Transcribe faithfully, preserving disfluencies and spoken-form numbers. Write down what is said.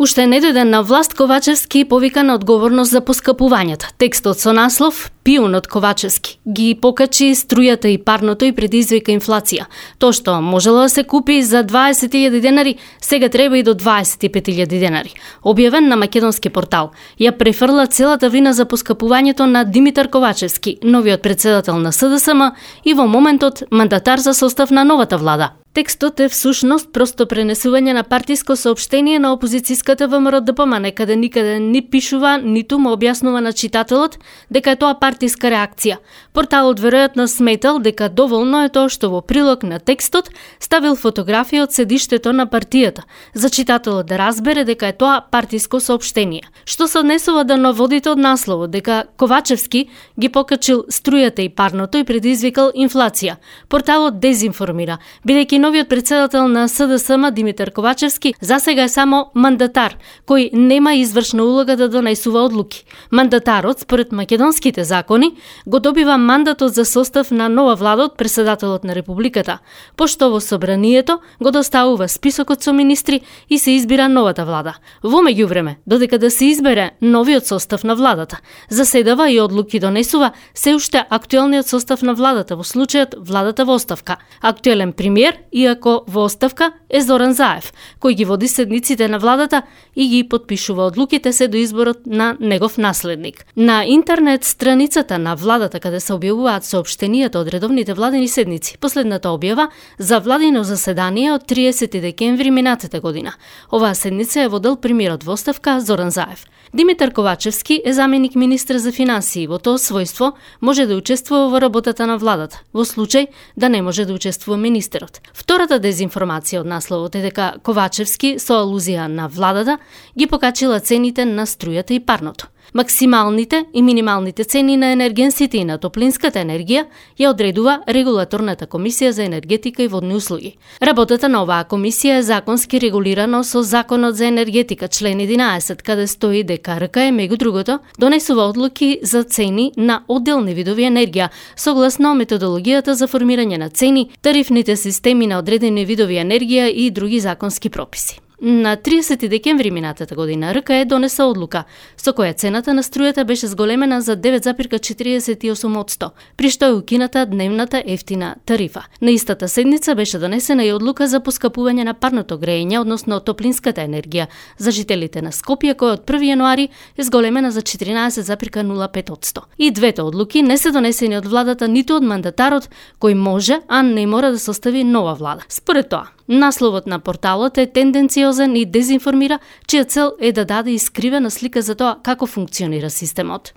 Уште не дојде на власт, Ковачевски повика на одговорност за поскапувањето. Текстот со наслов "Пиун од Ковачевски" ги покачи струјата и парното и предизвика инфлација. Тоа што можело да се купи за дваесет илјади денари, сега треба и до дваесет и пет илјади денари. Објавен на македонски портал, ја префрла целата вина за поскапувањето на Димитар Ковачевски, новиот председател на С Д С М и во моментот мандатар за состав на новата влада. Текстот е всушност просто пренесување на партиско соопштение на опозицијската Вэ М Р Д П М, некаде никаде ни пишува, ниту му објаснува на читателот дека е тоа партиска реакција. Порталот веројатно сметал дека доволно е тоа што во прилог на текстот ставил фотографија од седиштето на партијата, за читателот да разбере дека е тоа партиско соопштение. Што се однесува до наводите од насловот дека Ковачевски ги покачил струјата и парното и предизвикал инфлација. Порталот дезинформира, бидејќи новиот председател на С Д С М Димитар Ковачевски засега е само мандатар, кој нема извршна улога да донесува одлуки. Мандатарот, според македонските закони, го добива мандатот за состав на нова влада од председателот на Републиката, пошто во собранието го доставува списокот со министри и се избира новата влада. Во меѓувреме, додека да се избере новиот состав на владата, заседава и одлуки донесува се уште актуелниот состав на владата, во случајот владата во оставка. Актуелен премиер, иако во оставка, е Зоран Заев, кој ги води седниците на владата и ги потпишува одлуките се до изборот на негов наследник. На интернет страницата на владата, каде се објавуваат соопштенијата од редовните владени седници, последната објава за владино заседание од триесети декември минатата година. Оваа седница е водел премиерот во оставка Зоран Заев. Димитар Ковачевски е заменик министр за финансии. Во тоа својство може да учествува во работата на владата, во случај да не може да учествува министерот. Втората дезинформација од насловот е дека Ковачевски, со алузија на владата, ги покачила цените на струјата и парното. Максималните и минималните цени на енергенсите и на топлинската енергија ја одредува Регулаторната комисија за енергетика и водни услуги. Работата на оваа комисија е законски регулирано со Законот за енергетика, член единаесет, каде стои дека Р К Е, меѓу другото, донесува одлуки за цени на одделни видови енергија, согласно методологијата за формирање на цени, тарифните системи на одредени видови енергија и други законски прописи. На триесети декември минатата година Р К Е донесе одлука со која цената на струјата беше зголемена за девет зарез четиридесет и осум одсто, при што е укината дневната ефтина тарифа. На истата седница беше донесена и одлука за поскапување на парното грејење, односно топлинската енергија, за жителите на Скопје, која од први јануари е зголемена за четиринаесет зарез нула пет одсто. И двете одлуки не се донесени од владата ниту од мандатарот, кој може, а не мора да состави нова влада. Според тоа, насловот на порталот е тенденциозен и дезинформира, чија цел е да даде искривена слика за тоа како функционира системот.